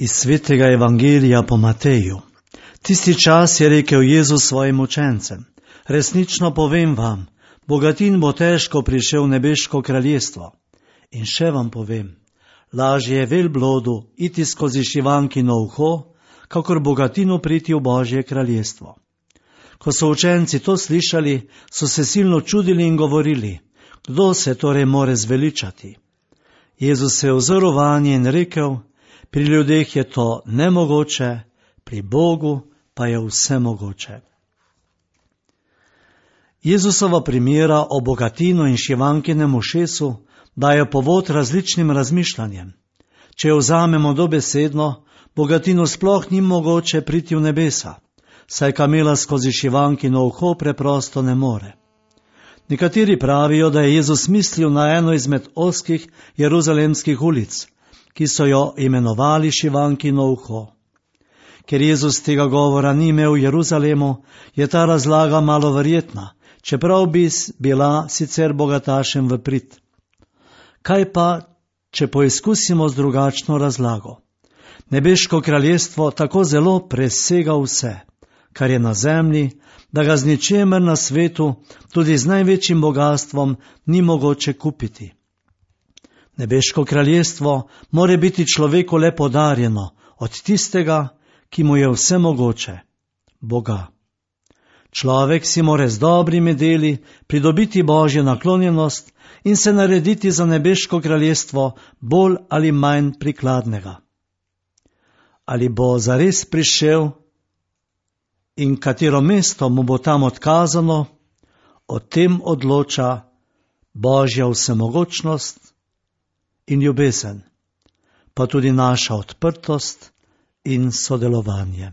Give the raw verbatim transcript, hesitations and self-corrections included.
Iz svetega evangelija po Mateju. Tisti čas je rekel Jezus svojim učencem: resnično povem vam, bogatin bo težko prišel v nebeško kraljestvo. In še vam povem, lažje je velblodu iti skozi šivankino uho, kakor bogatinu priti v Božje kraljestvo. Ko so učenci to slišali, so se silno čudili in govorili: kdo se torej more zveličati? Jezus se je ozrl vanje in rekel: pri ljudeh je to nemogoče, pri Bogu pa je vse mogoče. Jezusova primera o bogatinu in šivankinem ušesu dajo povod različnim razmišljanjem. Če jo vzamemo dobesedno, bogatinu sploh ni mogoče priti v nebesa, saj kamela skozi šivankino uho preprosto ne more. Nekateri pravijo, da je Jezus mislil na eno izmed ozkih jeruzalemskih ulic, ki so jo imenovali šivankino uho. Ker Jezus tega govora ni imel v Jeruzalemu, je ta razlaga malo verjetna, čeprav bi bila sicer bogatašem v prid. Kaj pa, če poizkusimo z drugačno razlago? Nebeško kraljestvo tako zelo presega vse, kar je na zemlji, da ga z ničemer na svetu, tudi z največjim bogatstvom, ni mogoče kupiti. Nebeško kraljestvo more biti človeku le podarjeno od tistega, ki mu je vse mogoče, Boga. Človek si more z dobrimi deli pridobiti Božjo naklonjenost in se narediti za nebeško kraljestvo bolj ali manj prikladnega. Ali bo zares prišel in katero mesto mu bo tam odkazano, o tem odloča Božja vsemogočnost in ljubezen, pa tudi naša odprtost in sodelovanje.